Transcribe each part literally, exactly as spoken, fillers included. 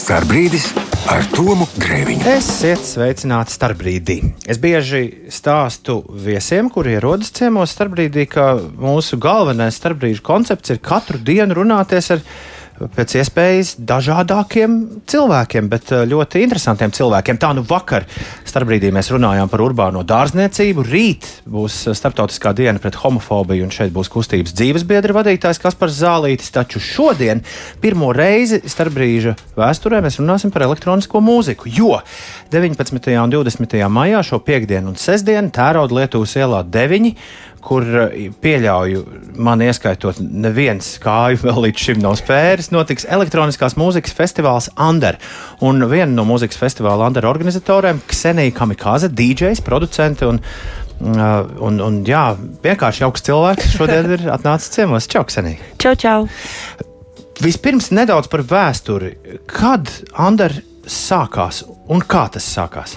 Starpbrīdis ar Tomu Grēviņu. Esiet sveicināti Starpbrīdī. Es bieži stāstu viesiem, kuri ierodas ciemos Starpbrīdī, ka mūsu galvenais Starpbrīžu koncepts ir katru dienu runāties ar pēc iespējas dažādākiem cilvēkiem, bet ļoti interesantiem cilvēkiem. Tā nu vakar Starpbrīdī mēs runājām par urbāno dārzniecību. Rīt būs starptautiskā diena pret homofobiju, un šeit būs kustības dzīvesbiedra vadītājs Kaspars Zālītis. Taču šodien pirmo reizi Starpbrīža vēsturē mēs runāsim par elektronisko mūziku, jo deviņpadsmitajā un divdesmitajā maijā šo piekdienu un sestdienu Tērauda Lietuvas ielā deviņi, kur pieļauju, man ieskaitot, neviens kāju vēl līdz šim nav spēris, notiks elektroniskās mūzikas festivāls Under. Un viena no mūzikas festivāla Under organizatoriem, Ksenija Kamikaze, dīdžejs, producente un, un, un jā, vienkārši jauks cilvēks, šodien ir atnācis ciemos. Čau, Ksenija! Čau, čau! Vispirms nedaudz par vēsturi. Kad Under sākās un kā tas sākās?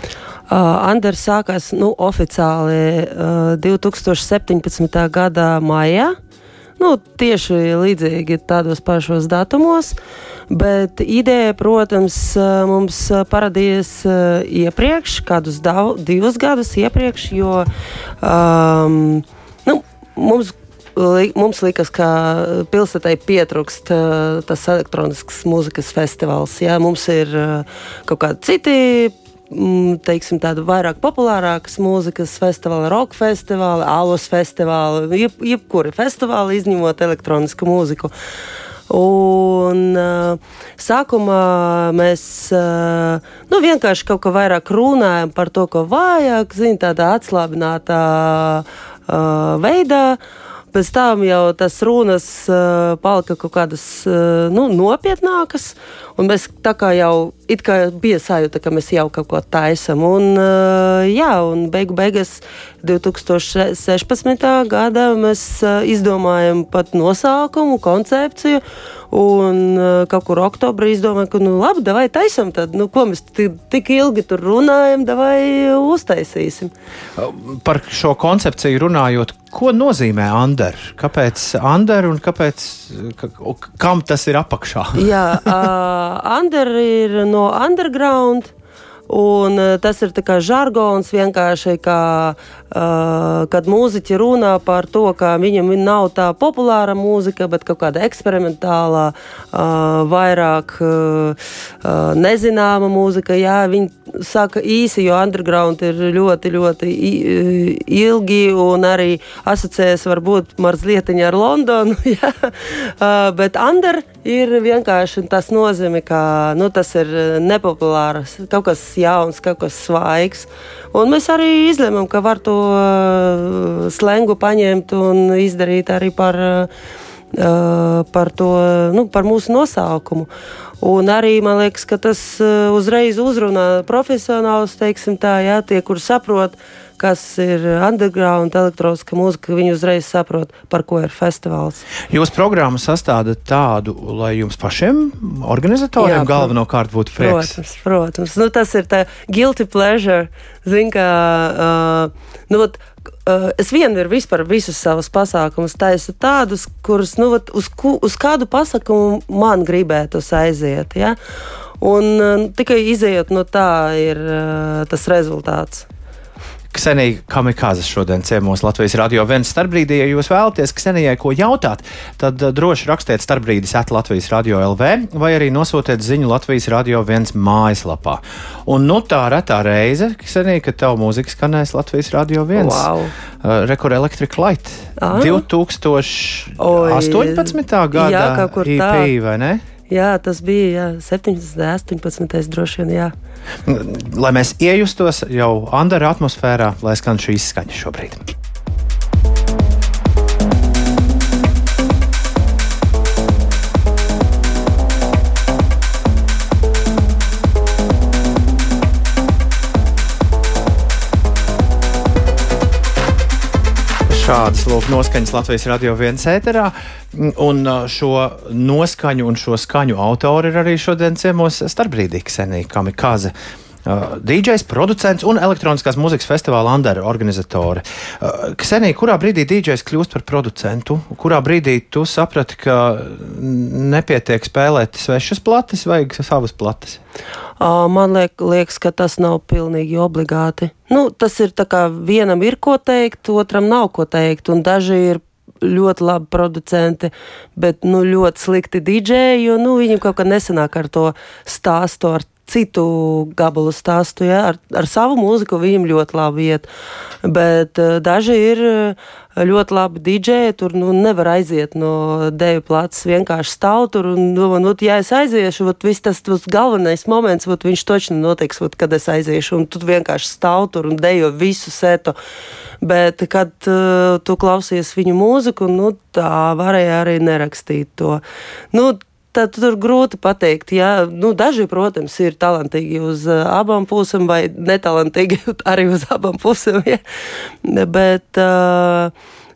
Uh, Under sākās nu, oficiāli uh, divtūkstoš septiņpadsmitā gada maijā, nu, tieši līdzīgi tādos pašos datumos, bet ideja, protams, mums paradījies uh, iepriekš, kādus dav, divus gadus iepriekš, jo um, nu, mums Mums liekas, ka pilsētai pietrūkst uh, tas elektroniskas mūzikas festivāls. Jā, mums ir uh, kaut kādi citi, mm, teiksim, tādi vairāk populārākas mūzikas festivāli, rock festivāli, alus festivāli, jeb, jebkuri festivāli, izņemot elektronisku mūziku. Un uh, sākumā mēs uh, nu, vienkārši kaut kā vairāk runājam par to, ko vajag, zin, tādā atslābinātā uh, veidā. Pēc tam jau tas runas uh, palika kaut kādas uh, nu, nopietnākas, un mēs tā kā jau it kā bija sajūta, ka mēs jau kaut ko taisam. Un, uh, jā, un beigu beigas divtūkstoš sešpadsmitā gada mēs uh, izdomājam pat nosaukumu, koncepciju, un uh, kaut kur oktobrī izdomājam, ka nu labi, davai taisam tad, nu ko mēs tik ilgi tur runājam, davai uztaisīsim. Par šo koncepciju runājot, ko nozīmē Under? Kāpēc Under un kāpēc, ka, kam tas ir apakšā? Jā, uh, Under ir no underground, un uh, tas ir tā kā žargons vienkārši, kā, uh, kad mūziķi runā par to, ka viņam nav tā populāra mūzika, bet kaut kāda eksperimentālā, uh, vairāk uh, uh, nezināma mūzika. Jā, viņi saka īsi, jo underground ir ļoti, ļoti ilgi un arī asociējas varbūt mazlietiņa ar Londonu, jā. Uh, bet Under ir vienkārši tas nozīmē, ka nu, tas ir nepopulārs, kaut kas jauns, kaut kas svaigs. Un mēs arī izlēmām, ka var to uh, slengu paņemt un izdarīt arī par, uh, par, to, nu, par mūsu nosaukumu. Un arī, man liekas, ka tas uh, uzreiz uzrunā profesionālus, teiksim tā, jā, tie, kur saprot, kas ir underground, elektroniska mūzika, viņi uzreiz saprot, par ko ir festivāls. Jūs programmu sastādat tādu, lai jums pašiem, organizatoriem, jā, galvenokārt būtu prieks? Protams, protams. Nu, tas ir tā guilty pleasure. Zin, kā, uh, nu, vat, uh, es vienmēr vispār visus savus pasākumus taisu tādus, kurus, nu, vat, uz, ku, uz kādu pasākumu man gribētos aiziet, ja? Un uh, tikai izējot no tā ir uh, tas rezultāts. Ksenija Kamikaze šodien ciemos Latvijas Radio viens Starpbrīdī. Ja jūs vēlaties Ksenijai ko jautāt, tad droši rakstiet starpbrīdis at Latvijas Radio L V vai arī nosūtiet ziņu Latvijas Radio viens mājaslapā. Un nu tā retā reize, Ksenija, kad tavu mūziku skanēs Latvijas Radio viens. Wow. Uh, Record Electric Light. Ah. divtūkstoš astoņpadsmitā gada jā, kaut kur E P, tā. Vai ne? Jā, tas bija jā, septiņdesmit, astoņpadsmit droši vien, jā. Lai mēs iejustos jau Under atmosfērā, lai skan šī izskaņa šobrīd. Šādas lūk noskaņas Latvijas Radio viens ēterā, un šo noskaņu un šo skaņu autori ir arī šodien ciemos Starpbrīdī Ksenija Kamikaze. uh, dīdžejs, producents un elektroniskās mūzikas festivāla Andere organizatore. Uh, Ksenija, kurā brīdī dīdžejs kļūst par producentu? Kurā brīdī tu saprati, ka nepietiek spēlēt svešas plates, vajag savas plates? Uh, man liek, liekas, ka tas nav pilnīgi obligāti. Nu, tas ir tā kā vienam ir ko teikt, otram nav ko teikt, un daži ir ļoti labi producenti, bet nu, ļoti slikti dīdžeji, jo nu, viņiem kaut kā nesanāk ar to stāstu, ar citu gabalu stāstu. Ja? Ar, ar savu mūziku viņiem ļoti labi iet, bet uh, daži ir ļoti labi dīdžeji, tur nu, nevar aiziet no deju plāces, vienkārši stāv tur, un, un, un ja es aiziešu, vat, viss tas, tas galvenais moments, vat, viņš točni notiks, vat, kad es aiziešu, un tu vienkārši stāv tur un dejo visu setu. Bet, kad uh, tu klausies viņu mūziku, nu, tā varēja arī nerakstīt to. Nu, tad tur grūti pateikt. Ja? Nu, daži, protams, ir talantīgi uz uh, abām pusēm vai netalantīgi arī uz abām pusēm. Ja? Bet uh,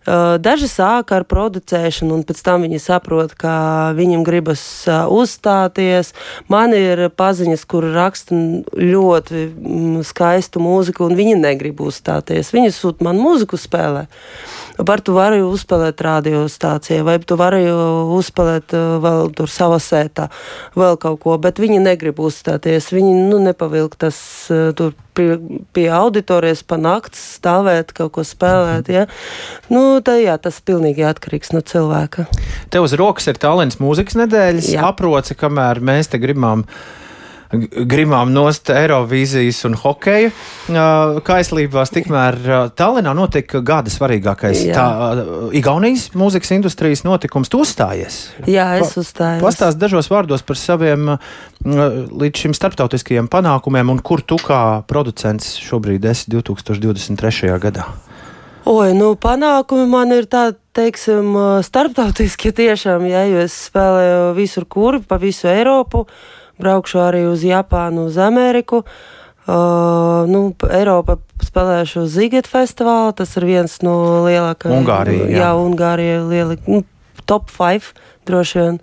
uh, daži sāka ar producēšanu, un pēc tam viņi saprot, ka viņam gribas uh, uzstāties. Man ir paziņas, kur raksta ļoti mm, skaistu mūziku, un viņi negrib uzstāties. Viņi sūt man mūziku spēlē. Par tu vari uzspēlēt radiostācijā, vai tu vari uzspēlēt vēl tur savā sētā, vēl kaut ko, bet viņi negrib uzstāties. Viņi nu, nepavilk tas tur pie, pie auditorijas pa nakts stāvēt, kaut ko spēlēt. Ja? Nu, tā, jā, tas pilnīgi atkarīgs no cilvēka. Tev uz rokas ir Tallinas mūzikas nedēļas jā. Aproce, kamēr mēs te gribam Gribām nost Eirovīzijas un hokeja uh, kaislībās, tikmēr uh, Tallinā notika gada svarīgākais tā, uh, Igaunijas mūzikas industrijas notikums. Tu uzstājies? Jā, es uzstājos. Pastāst dažos vārdos par saviem uh, līdz šim starptautiskajiem panākumiem un kur tu kā producents šobrīd esi divtūkstoš divdesmit trešajā gadā? Oi, nu panākumi man ir tādi, teiksim, starptautiski tiešām, ja, jo es spēlēju visur kur, pa visu Eiropu. Braukšu arī uz Japānu, uz Ameriku. Uh, nu, Eiropa spēlēšu uz Ziget festivālu. Tas ir viens no lielākajiem. Ungārija, jā. Jā, Ungārija lieli, nu, top five droši vien.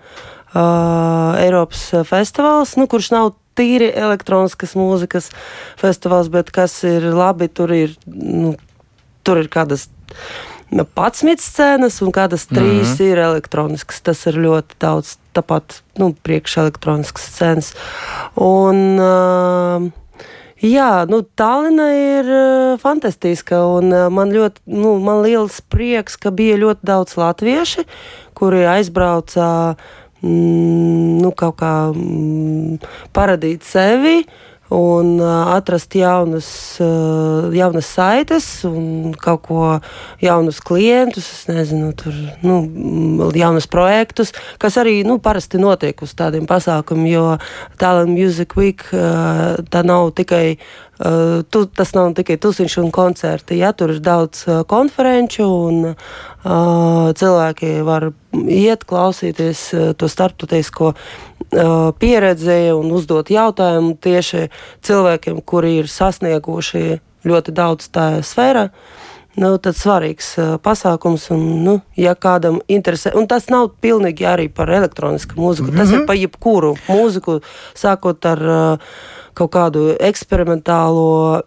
Uh, Eiropas festivāls, nu, kurš nav tīri elektroniskas mūzikas festivāls, bet kas ir labi, tur ir, nu, tur ir kādas padsmit scēnas un kādas trīs mm-hmm. ir elektroniskas. Tas ir ļoti daudz, tāpat, nu, priekš elektroniskas scēnas. Un, uh, jā, nu, Tallina ir uh, fantastiska, un uh, man ļoti, nu, man liels prieks, ka bija ļoti daudz latvieši, kuri aizbrauca, mm, nu, kaut kā mm, paradīt sevi, un uh, atrast jaunas, uh, jaunas saites un kaut ko jaunus klientus, es nezinu, tur, nu, jaunus projektus, kas arī, nu, parasti notiek uz tādiem pasākumiem, jo Tallinn Music Week uh, tā nav tikai, uh, tu, tas nav tikai tusiņš un koncerti, ja, tur ir daudz uh, konferenču un uh, cilvēki var iet, klausīties uh, to starptautisko pieredzi un uzdot jautājumu tieši cilvēkiem, kuri ir sasnieguši ļoti daudz tajā sfērā. Nu, tad svarīgs uh, pasākums, un, nu, ja kādam interesē, un tas nav pilnīgi arī par elektronisku mūziku, mm-hmm. tas ir par jebkuru mūziku, sākot ar uh, kaut kādu eksperimentālo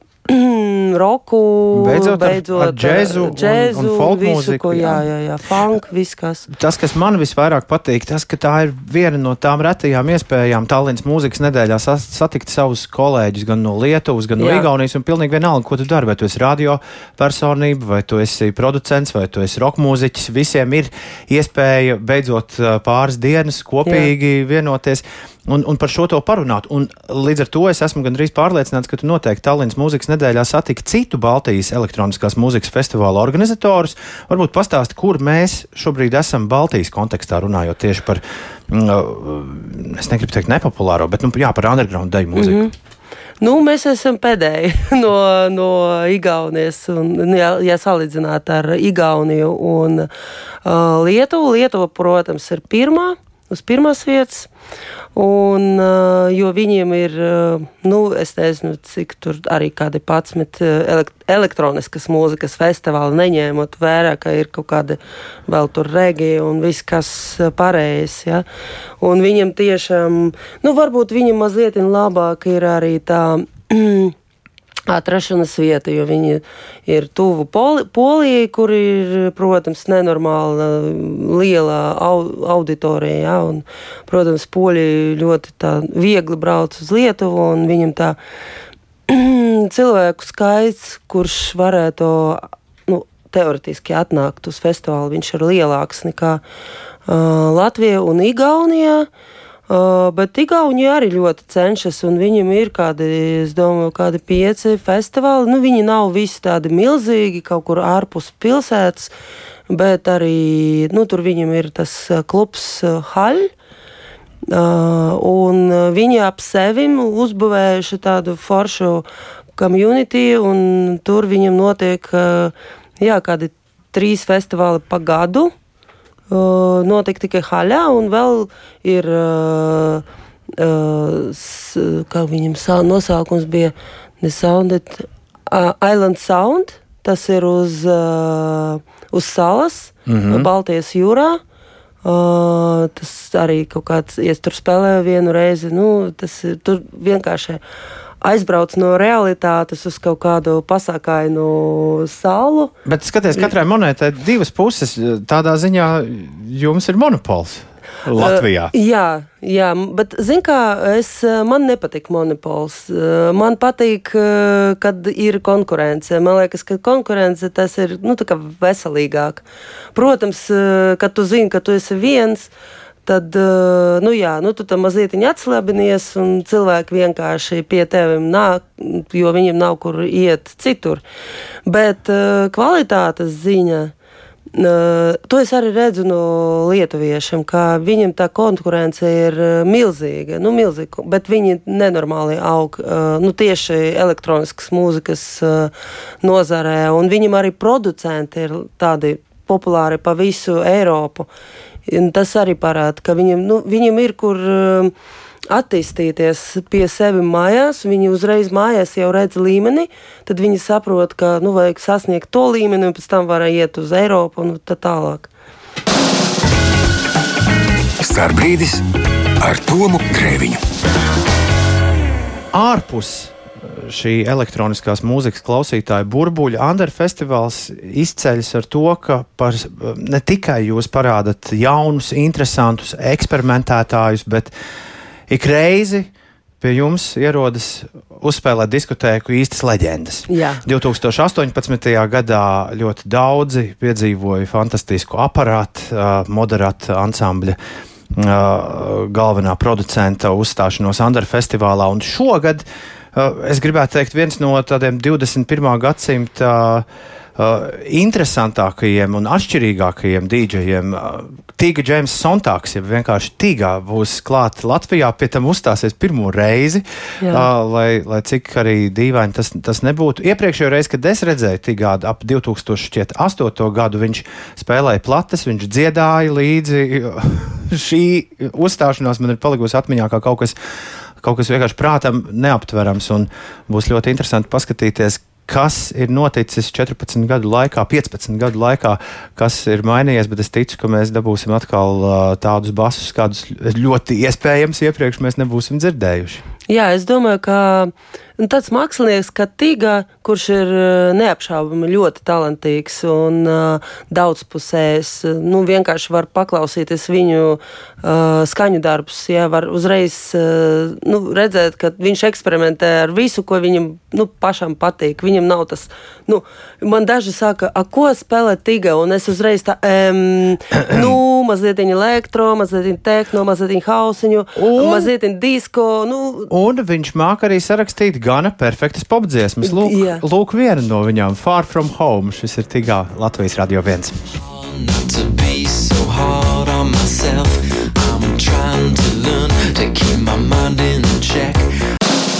roku, beidzot, beidzot ar, ar džēzu, džēzu un, un folk visu, mūziku. Ko, jā, jā, jā, funk, viss kas. Tas, kas man visvairāk patīk, tas, ka tā ir viena no tām retajām iespējām Tallinas mūzikas nedēļā satikt savus kolēģus gan no Lietuvas, gan no jā. Igaunijas, un pilnīgi vienalga, ko tu dari, vai tu esi radio personība, vai tu esi producents, vai tu esi rock mūziķis, visiem ir iespēja beidzot pāris dienas kopīgi jā. Vienoties. Un, un par šo to parunāt. Un līdz ar to es esmu gandrīz pārliecināts, ka tu noteikti Tallinas mūzikas nedēļā satiki citu Baltijas elektroniskās mūzikas festivāla organizatorus. Varbūt pastāsti, kur mēs šobrīd esam Baltijas kontekstā runājot tieši par, es negribu teikt nepopulāro, bet nu, jā, par underground deju mūziku. Mm-hmm. Nu, mēs esam pēdēji no, no Igaunijas, un, ja, ja salīdzināt ar Igauniju un uh, Lietuvu. Lietuva, protams, ir pirmā, uz pirmās vietas. Un, uh, jo viņiem ir, uh, nu, es nezinu, cik tur arī kādi padsmit elekt- elektroniskas mūzikas festivāli, neņēmot vērā, ka ir kaut kādi vēl tur regi un viss, kas pārējais, ja. Un viņiem tiešām, nu, varbūt viņiem mazliet labāk ir arī tā atrašanas vieta, jo viņi ir tuvu Poli, Polijai, kur ir, protams, nenormāla liela au, auditorija, ja, un, protams, Poļi ļoti tā viegli brauc uz Lietuvu, un viņam tā cilvēku skaits, kurš varētu, nu, teoretiski atnākt uz festivālu, viņš ir lielāks nekā uh, Latvija un Igaunijā. Uh, bet Igaunija arī ļoti cenšas, un viņam ir kādi, es domāju, kādi pieci festivāli. Nu, viņi nav visi tādi milzīgi, kaut kur ārpus pilsētas, bet arī, nu, tur viņam ir tas klubs uh, Haļ, uh, un viņi ap sevim uzbūvējuši tādu foršu community, un tur viņam notiek, uh, jā, kādi trīs festivāli pa gadu. Uh, notiek tikai Haļā, un vēl ir, uh, uh, s, kā viņam sā, nosaukums bija, ne Sounded, uh, Island Sound, tas ir uz, uh, uz salas, mm-hmm. Baltijas jūrā. Uh, tas arī kaut kāds, ja tur spēlē vienu reizi, nu, tas ir tur vienkārši aizbrauc no realitātes uz kaut kādu pasākainu salu. Bet skaties, katrai monētai divas puses. Tādā ziņā jums ir monopols Latvijā. Uh, jā, jā, bet zin kā, es, man nepatīk monopols. Uh, man patīk, uh, kad ir konkurence. Man liekas, ka konkurence tas ir, nu, tā kā veselīgāk. Protams, uh, kad tu zini, ka tu esi viens, tad, nu jā, nu tu tam mazlietiņi atslabinies, un cilvēki vienkārši pie tevim nāk, jo viņiem nav kur iet citur. Bet kvalitātes ziņa, to es arī redzu no lietuviešiem, ka viņiem tā konkurence ir milzīga, nu milzīga, bet viņi nenormāli aug, nu tieši elektroniskas mūzikas nozarē, un viņiem arī producenti ir tādi populāri pa visu Eiropu. Un tas arī parāda, ka viņam, nu, viņam ir kur uh, attīstīties pie sevi mājās, viņi uzreiz mājās jau redz līmeni, tad viņi saprot, ka, nu, vajag sasniegt to līmeni, un pēc tam var iet uz Eiropu un tā tālāk. Starbrīdis ar Tomu Grēviņu. Ārpus šī elektroniskās mūzikas klausītāja burbuļa Under festivāls izceļas ar to, ka par, ne tikai jūs parādat jaunus, interesantus eksperimentētājus, bet ik reizi pie jums ierodas uzspēlēt diskotēku īstas leģendas. Jā. divtūkstoš astoņpadsmitajā gadā ļoti daudzi piedzīvoja fantastisku aparātu, moderātu ansambļa galvenā producenta uzstāšanos Under festivālā, un šogad es gribētu teikt, viens no tādiem divdesmit pirmā gadsimta uh, interesantākajiem un atšķirīgākajiem dīdžejiem. Tīga Džeims Sontāks, ja vienkārši Tīgā būs klāt Latvijā, pie tam uzstāsies pirmo reizi, uh, lai, lai cik arī dīvaini tas, tas nebūtu. Iepriekšējo reizi, kad es redzēju Tīgā ap divtūkstoš astoto gadu, viņš spēlēja plates, viņš dziedāja līdzi. Šī uzstāšanās man ir palikusi atmiņā kā kaut kas, kaut kas vienkārši prātam neaptverams, un būs ļoti interesanti paskatīties, kas ir noticis četrpadsmit gadu laikā, piecpadsmit gadu laikā, kas ir mainījies, bet es ticu, ka mēs dabūsim atkal uh, tādus basus, kādus ļoti iespējams iepriekš mēs nebūsim dzirdējuši. Jā, es domāju, ka tāds mākslinieks kā Tīga, kurš ir neapšaubami ļoti talantīgs un uh, daudzpusējs, nu vienkārši var paklausīties viņu uh, skaņu darbus, jā, var uzreiz uh, nu, redzēt, ka viņš eksperimentē ar visu, ko viņam nu, pašam patīk. Viņam nav tas, nu, man daži saka, a, ko spēlē Tīga, un es uzreiz tā, um, nu, mazliet elektro, mazliet tehno, mazliet hausiņu, un... mazliet disko, nu. Un viņš māk arī sarakstīt gana perfektas popdziesmas. Lūk, yeah. lūk viena no viņām, Far From Home. Šis ir Tīgā Latvijas Radio viens.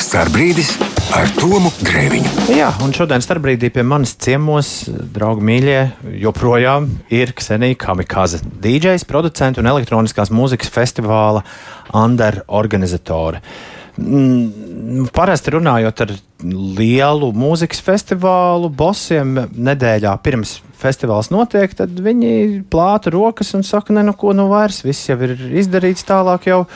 Starbrīdis ar Tomu Grēviņu. Jā, un šodien starpbrīdī pie manis ciemos, draugi mīļie, joprojām ir Ksenija Kamikaze, dīdžejs, producents un elektroniskās mūzikas festivāla Under organizatore. Mm, parasti runājot ar lielu mūzikas festivālu bosiem nedēļā pirms festivāls notiek, tad viņi plāta rokas un saka, ne, nu ko nu vairs, viss jau ir izdarīts, tālāk jau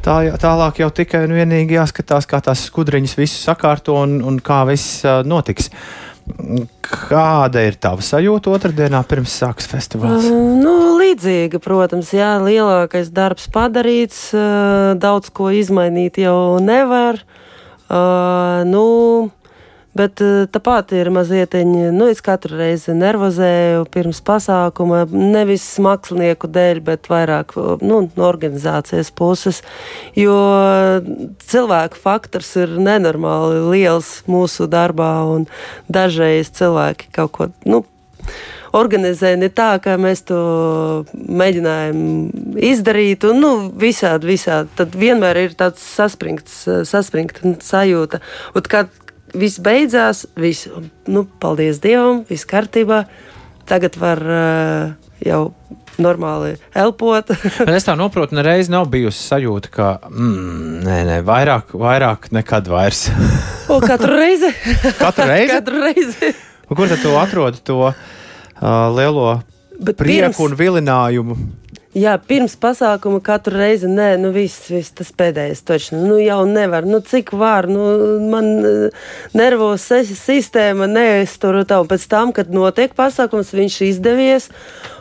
Tā, tālāk jau tikai un vienīgi jāskatās, kā tās skudriņas visu sakārto un, un kā viss uh, notiks. Kāda ir tava sajūta otrdienā pirms sākas festivāls? Uh, nu, līdzīga, protams, jā, lielākais darbs padarīts, uh, daudz ko izmainīt jau nevar. Uh, nu, bet uh, tāpat ir mazietiņi, nu, es katru reizi nervozēju pirms pasākuma, nevis mākslinieku dēļ, bet vairāk, nu, no organizācijas puses, jo cilvēku faktors ir nenormāli liels mūsu darbā, un dažreiz cilvēki kaut ko, nu, organizē ne tā, kā mēs to mēģinājām izdarīt, un, nu, visādi, visādi, tad vienmēr ir tāds saspringts, saspringta sajūta, un kad viss beidzās, viss, nu, paldies Dievam, viss kārtībā. Tagad var uh, jau normāli elpot. Bet es tā noprotu, nereiz nav bijusi sajūta, ka mm, nē, nē, vairāk, vairāk nekad vairs. O, katru reizi? Katru reizi? Katru reizi. Un kur tad tu atrodi to uh, lielo Bet prieku pirms... un vilinājumu? Jā, pirms pasākuma katru reizi, nē, nu viss, viss tas pēdējais točni, nu jau nevar, nu cik var, nu man nervos sistēma neiztur tā, un pēc tam, kad notiek pasākums, viņš izdevies,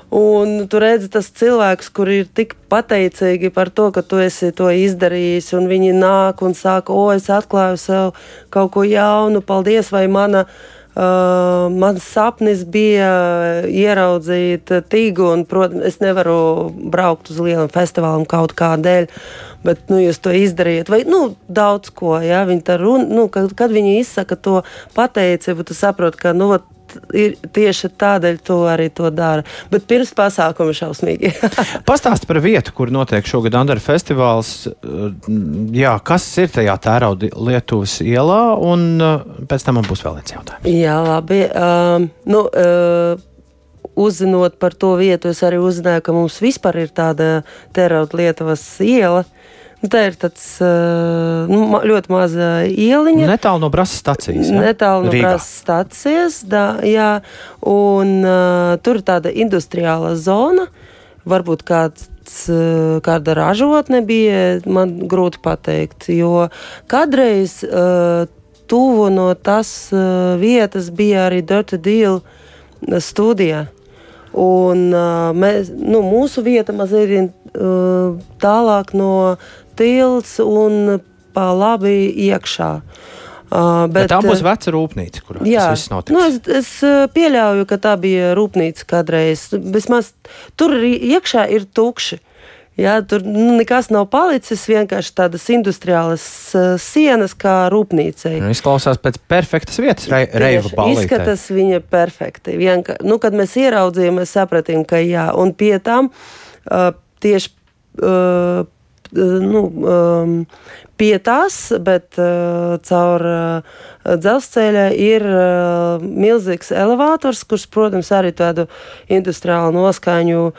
un tu redzi tas cilvēks, kur ir tik pateicīgi par to, ka tu esi to izdarījis, un viņi nāk un saka, o, es atklāju sev kaut ko jaunu, paldies, vai mana Uh, mans sapnis bija ieraudzīt tīgu, un, protams, es nevaru braukt uz lielu festivālu kaut kā dēļ, bet, nu, jūs to izdarījat, vai, nu, daudz ko, jā, viņi tā runa, nu, kad, kad viņi izsaka to pateicību, tu saproti, ka, nu, ir tieši tādēļ to arī to dara. Bet pirms pasākuma šausmīgi. Pastāsti par vietu, kur notiek šogad Andara festivāls. Jā, kas ir tajā Tērauda Lietuvas ielā, un pēc tam man būs vēl viens jautājums. Jā, labi. Um, nu, uh, uzzinot par to vietu, es arī uzzināju, ka mums vispār ir tāda Tērauda Lietuvas iela. Tā ir tāds uh, ļoti maza ieliņa. Netālu no Brasas stacijas. Ja? Netālu no Rīgā. Brasas stacijas, da, jā. Un uh, tur ir tāda industriāla zona. Varbūt kāds, uh, kāda ražotne bija, man grūti pateikt. Jo kādreiz uh, tuvu no tas uh, vietas bija arī Dirty Deal studija. Un uh, mēs, nu, mūsu vieta mazliet uh, tālāk no tilts un pa labi iekšā. Uh, bet, bet tā būs veca rūpnīca, kurā jā, tas viss notiks. Nu, es, es pieļauju, ka tā bija rūpnīca kādreiz. Vismaz tur iekšā ir tukši. Jā, tur nu, nekas nav palicis, vienkārši tādas industriālas uh, sienas kā rūpnīcei. Izklausās pēc perfektas vietas, re, reivu ballītei. Izskatās viņa perfekti. Vienka, nu, kad mēs ieraudzījām, mēs sapratījām, ka jā. Un pie tam uh, tieši uh, nu, um, pie tās, bet uh, caur uh, dzelzceļa ir uh, milzīgs elevators, kurš, protams, arī tādu industriālu noskaņu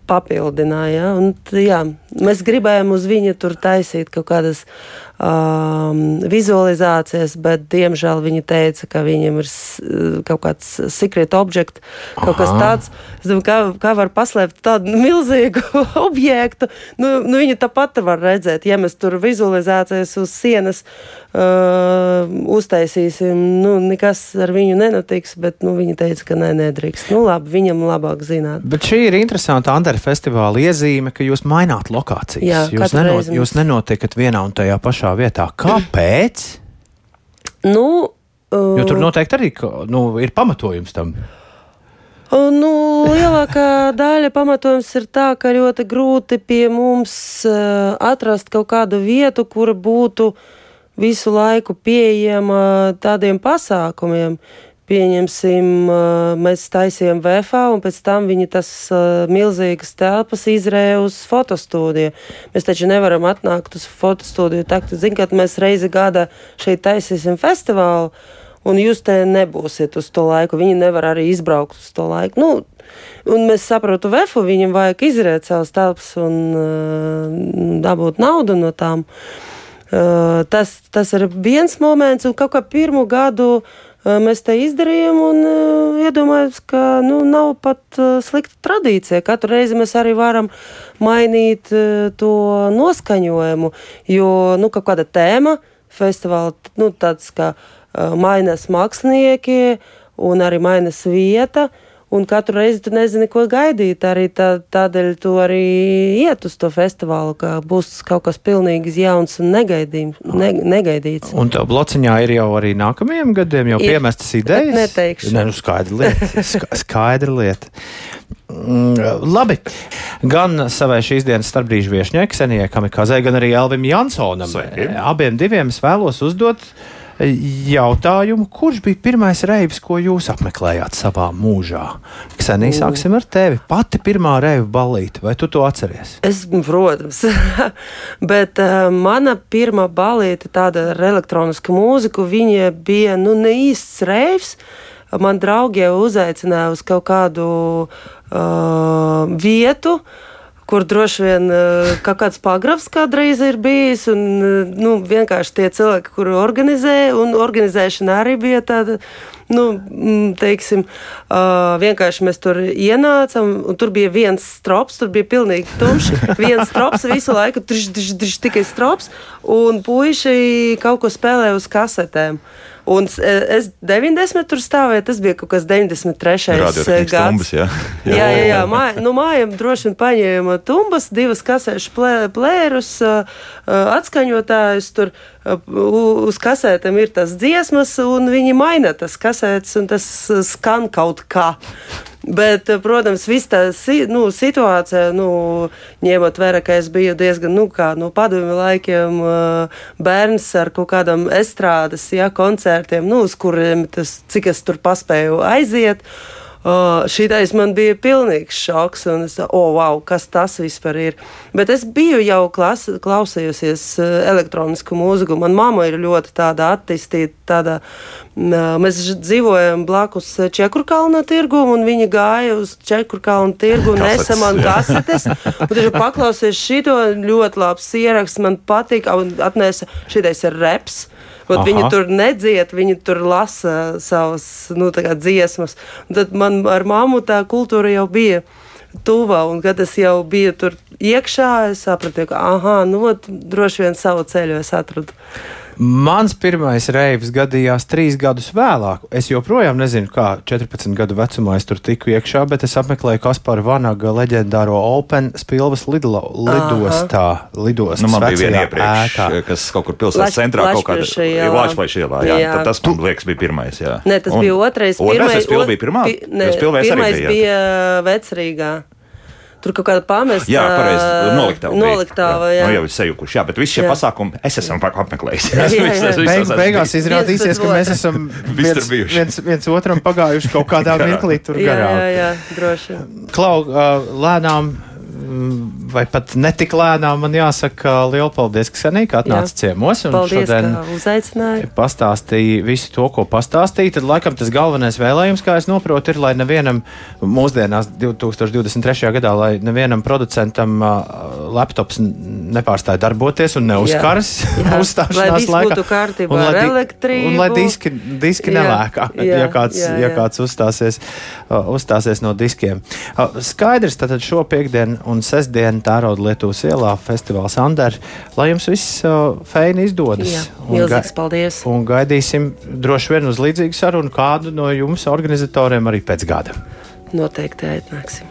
papildināja. Un, jā, mēs gribējām uz viņa tur taisīt kaut kādas um, vizualizācijas, bet, diemžēl, viņi teica, ka viņiem ir kaut kāds secret object, kaut Aha. kas tāds. Es domāju, kā, kā var paslēpt tādu milzīgu objektu. Nu, nu, viņu tāpat var redzēt. Ja mēs tur vizualizācijas uz sienas uh, uztaisīsim, nu, nekas ar viņu nenotiks, bet, nu, viņi teica, ka nē, nedrīkst. Nu, labi, viņam labāk zināt. Bet šī ir interesanta Andara festivāla iezīme, ka jūs maināt lokācijas. Jā, jūs, nenot, jūs nenotikat vienā un tajā pašā vietā. Kāpēc? Nu, uh, jo tur noteikti arī nu, ir pamatojums tam. Uh, nu, lielākā daļa pamatojums ir tā, ka ļoti grūti pie mums uh, atrast kaut kādu vietu, kura būtu visu laiku pieejama tādiem pasākumiem. Pieņemsim, mēs taisījām V F A, un pēc tam viņi tas uh, milzīgas telpas izrēja uz fotostūdiju. Mēs taču nevaram atnākt uz fotostūdiju. Tā, zin, kad mēs reizi gada šeit taisīsim festivālu, un jūs te nebūsiet uz to laiku. Viņi nevar arī izbraukt uz to laiku. Nu, un mēs saprotu V F U, viņam vajag izrēt savas telpas un uh, dabūt naudu no tām. Uh, tas, tas ir viens moments, un kaut kā pirmu gadu mēs te izdarījām un iedomājos, ka nu, nav pat slikta tradīcija. Katru reizi mēs arī varam mainīt to noskaņojumu, jo nu, kaut kāda tēma festivāla, nu, tāds kā mainās mākslinieki un arī mainās vieta. Un katru reizi tu nezini, ko gaidīt. Arī tā, tādēļ tu arī iet uz to festivālu, ka būs kaut kas pilnīgi jauns un negaidījums, ne, negaidīts. Un tev blociņā ir jau arī nākamajiem gadiem jau ir, piemestas idejas? Neteikšu. Ne, nu skaidra lieta. Skaidra lieta. Mm, labi. Gan savai šīs dienas starpbrīžu viešņai, Ksenijai Kamikazei, gan arī Elvim Jansonam. Sveiki. Abiem diviem es vēlos uzdot jautājumu, kurš bija pirmais reivis, ko jūs apmeklējāt savā mūžā? Ksenija, sāksim ar tevi. Pati pirmā reiva ballīte, vai tu to atceries? Es, protams. Bet uh, mana pirmā ballīte, tāda ar elektronisku mūziku, viņa bija, nu, ne īsts reivs. Man draugi jau uzaicināja uz kaut kādu uh, vietu, kur droši vien kaut kāds pagrabs kādreiz ir bijis, un nu, vienkārši tie cilvēki, kuri organizē, un organizēšana arī bija tāda, nu, teiksim, uh, vienkārši mēs tur ienācam, un tur bija viens strops, tur bija pilnīgi tumšs, viens strops visu laiku, driš, driš, driš, tikai strops, un puiši kaut ko spēlēja uz kasetēm. Un es deviņdesmit tur stāvēju, tas bija kaut kas deviņdesmit trešais gads. Tumbas, jā. Jā, jā, jā, jā. Māj, nu mājām droši vien paņēma tumbas, divas kasēšu plē, plērus, atskaņotājus, tur uz kasētēm ir tas dziesmas, un viņi maina tas kasētes, un tas skan kaut kā. Bet, protams, viss tā nu, situācija, nu, ņemot vērā, ka es biju diezgan, nu, kā no padomju laikiem bērns ar kaut kādam estrādes, jā, koncertiem, nu, uz kuriem tas, cik es tur paspēju aiziet. Uh, šitais man bija pilnīgs šoks, un es, oh, wow, kas tas vispār ir. Bet es biju jau klas, klausējusies uh, elektronisku mūziku. Man mamma ir ļoti tāda attīstīta, tāda, uh, mēs dzīvojam blakus Čekurkalna tirgu, un viņa gāja uz Čekurkalna tirgu un nesa man kasetes. Un tad paklausies šito, ļoti labs ieraksts, man patīk, un atnesa, šitais ir reps. Viņi tur nedzied, viņi tur lasa savas, nu, tā kā dziesmas. Un tad man ar mammu tā kultūra jau bija tuvā, un kad es jau biju tur iekšā, es sapratu, ka, aha, nu, droši vien savu ceļu es atradu. Mans pirmais reivs gadījās trīs gadus vēlāk. Es joprojām nezinu, kā četrpadsmit gadu vecumā es tur tiku iekšā, bet es apmeklēju Kaspara Vanaga leģendāro Open Spilvas lidlo, lidostā. Lidostas nu, man bija viena iepriekš, ēkā. Kas kaut kur pilsētas centrā kaut kāda Lačplaiša ielā. Jā. Jā. Tad tas, man liekas, bija pirmais. Jā. Ne, tas un, bija otrais. Otrais, tas Spilva bija pirmā? Pi, ne, pirmais bija, bija Vecrīgā. Tur kaut kāda pamesta. Jā, pareizi, noliktava. Noliktava, jā. jā. Nu jau ir sejukuši, jā, bet visi šie jā. pasākumi es esam apmeklējis. Jā, jā, jā. Beig, beigās izrādīsies, ka mēs esam viens, viens, viens otram pagājuši kaut kādā mirklī tur garām. Jā, jā, jā, droši. Klau, lēnām vai pat netik lēnām man jāsaka lielu paldies, Ksenija, ka atnāca ciemos. Un paldies, ka uzaicināja. Pastāstīja visu to, ko pastāstīja. Tad laikam tas galvenais vēlējums, kā es noprotu, ir, lai nevienam mūsdienās divtūkstoš divdesmit trešajā gadā, lai nevienam producentam uh, laptops nepārstāja darboties un neuzkaras uzstāšanās laikā. Lai viss būtu kārtībā ar elektrību. Un lai diski, diski nelēkā, ja kāds, jā, jā. Ja kāds uzstāsies, uh, uzstāsies no diskiem. Uh, skaidrs, tātad šo piekdienu un sestdienu Tērauda Lietuvas ielā festivāls Ander, lai jums viss uh, feini izdodas. Jā, milzīgs paldies. Un gaidīsim droši vien uz līdzīgu sarunu kādu no jums organizatoriem arī pēc gada. Noteikti atnāksim.